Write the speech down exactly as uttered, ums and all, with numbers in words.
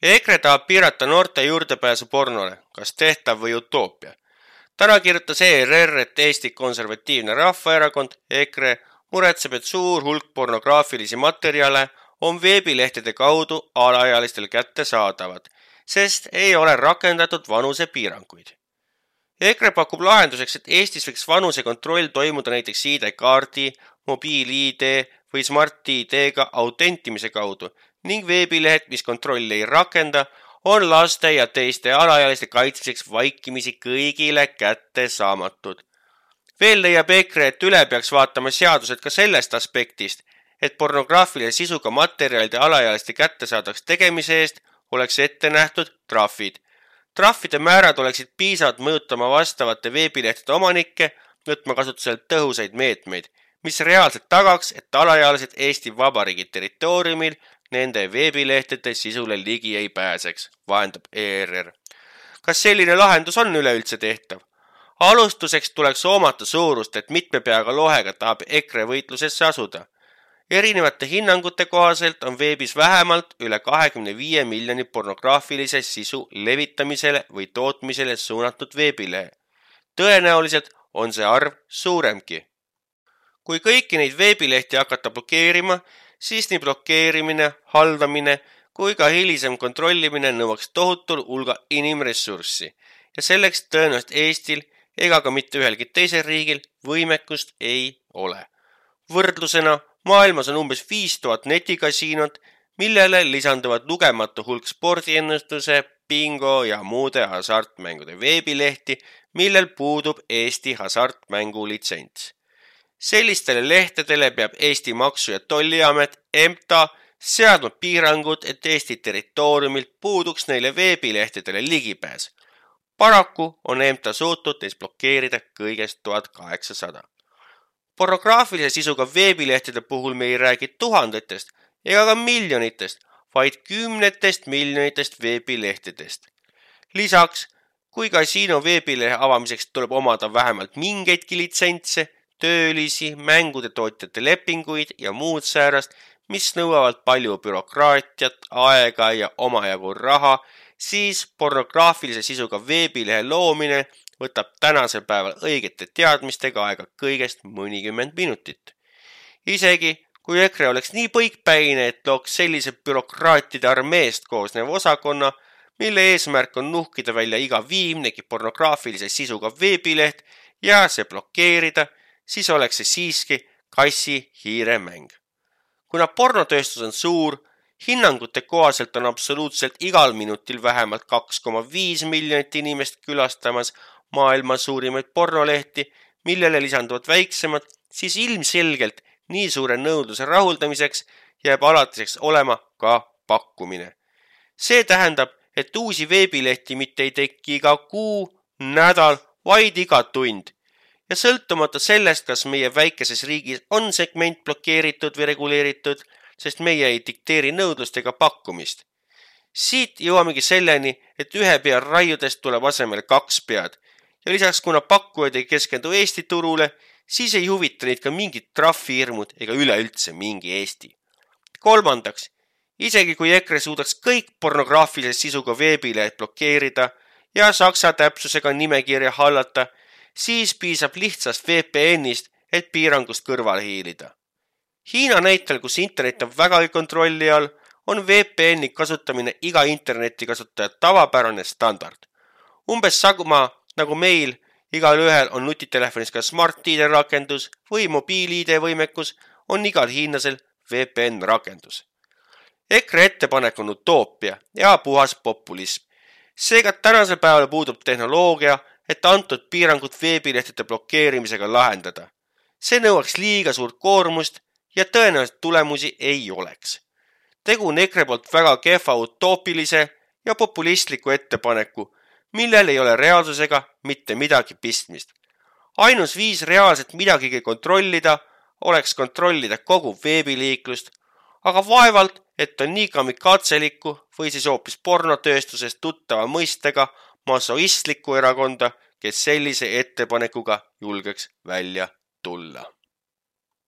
EKRE tahab piirata noorte juurdepääsu pornole, kas tehtav või utoopia. Täna kirjutas E R R, et Eesti Konservatiivne Rahvaerakond EKRE muretseb, et suur hulk pornograafilisi materjale on veebilehtede kaudu alaealistel kättesaadavad, sest ei ole rakendatud vanusepiiranguid. EKRE pakub lahenduseks, et Eestis võiks vanusekontroll toimuda näiteks I D-kaardi, mobiil-I D või Smart-I D-ga autentimise kaudu ning veebilehed, mis kontrolli ei rakenda, on laste ja teiste alaealiste kaitsmiseks vaikimisi kõigile kättesaamatud. Veel leiab EKRE, et üle peaks vaatama seadused ka sellest aspektist, et pornograafilise sisuga materjalide alaealiste kättesaadavaks tegemise eest oleks ette nähtud trahvid. Trahvide määrad oleksid piisavad mõjutama vastavate veebilehtede omanikke, võtma kasutuselt tõhusaid meetmeid, mis reaalselt tagaks, et alaealised Eesti Vabariigi territooriumil nende veebilehtede sisule ligi ei pääseks, vahendab E R R. Kas selline lahendus on üleüldse tehtav? Alustuseks tuleks hoomata suurust, et mitme peaga lohega tahab EKRE võitlusesse asuda. Erinevate hinnangute kohaselt on veebis vähemalt üle kahekümne viie miljoni pornograafilise sisu levitamisele või tootmisele suunatud veebilehe. Tõenäoliselt on see arv suuremgi. Kui kõiki neid veebilehti hakata blokeerima, siis nii blokeerimine, haldamine kui ka hilisem kontrollimine nõuaks tohutul hulga inimressurssi ja selleks tõenäoliselt Eestil ega ka mitte ühelgi teisel riigil võimekust ei ole. Võrdlusena maailmas on umbes viis tuhat netikasiinot, millele lisanduvad lugematu hulk spordiennustuse, bingo ja muude hasartmängude veebilehti, millel puudub Eesti hasartmängu litsents. Sellistele lehtedele peab Eesti Maksu- ja Tolliamet M T A seadma piirangud, et Eesti territooriumilt puuduks neile veebilehtedele ligipääs. Paraku on M T A suutnud neist blokeerida kõigest tuhat kaheksasada. Pornograafilise sisuga veebilehtede puhul me ei räägi tuhandetest ega ka miljonitest, vaid kümnetest miljonitest veebilehtedest. Lisaks, kui kasiino veebilehe avamiseks tuleb omada vähemalt mingeidki litsentse, töölisi, mängude tootjate lepinguid ja muud säärast, mis nõuavad palju bürokraatiat, aega ja omajagu raha, siis pornograafilise sisuga veebilehe loomine võtab tänasel päeval õigete teadmistega aega kõigest mõnikümmend minutit. Isegi kui EKRE oleks nii põikpäine, et looks sellise bürokraatide armeest koosnev osakonna, mille eesmärk on nuhkida välja iga viimnegi pornograafilise sisuga veebileht ja see blokeerida, siis oleks see siiski kassi-hiire mäng. Kuna pornotööstus on suur, hinnangute kohaselt on absoluutselt igal minutil vähemalt kaks koma viis miljonit inimest külastamas maailma suurimaid pornolehti, millele lisanduvad väiksemad, siis ilmselgelt nii suure nõudluse rahuldamiseks jääb alatiseks olema ka pakkumine. See tähendab, et uusi veebilehti mitte ei teki iga kuu, nädal, vaid iga tund. Ja sõltumata sellest, kas meie väikeses riigis on segment blokeeritud või reguleeritud, sest meie ei dikteeri nõudlust ega pakkumist. Siit jõuamegi selleni, et ühe pea raiudest tuleb asemele kaks pead ja lisaks kuna pakkujad ei keskendu Eesti turule, siis ei huvita neid ka mingid trahvihirmud ega üleüldse mingi Eesti. Kolmandaks, isegi kui EKRE suudaks kõik pornograafilise sisuga veebilehed blokeerida ja saksa täpsusega nimekirja hallata, siis piisab lihtsast V P N-ist, et piirangust kõrvale hiilida. Hiina näitel, kus internet on vägagi kontrolli all, on V P N-i kasutamine iga interneti kasutaja tavapärane standard. Umbes sama nagu meil, igal ühel on nutitelefonis ka Smart-I D rakendus või mobiil-I D võimekus, on igal hiinlasel V P N rakendus. EKRE ettepanek on utoopia ja puhas populism. Seega tänasel päeval puudub tehnoloogia, et antud piirangud veebilehtede blokeerimisega lahendada. See nõuaks liiga suurt koormust ja tõenäoliselt tulemusi ei oleks. Tegu on EKRE poolt väga kehva utoopilise ja populistliku ettepaneku, millel ei ole reaalsusega mitte midagi pistmist. Ainus viis reaalselt midagigi kontrollida oleks kontrollida kogu veebiliiklust, aga vaevalt, et on nii kamikatselikku või siis hoopis pornotööstusest tuttava mõistega masoistlikku erakonda, kes sellise ettepanekuga julgeks välja tulla.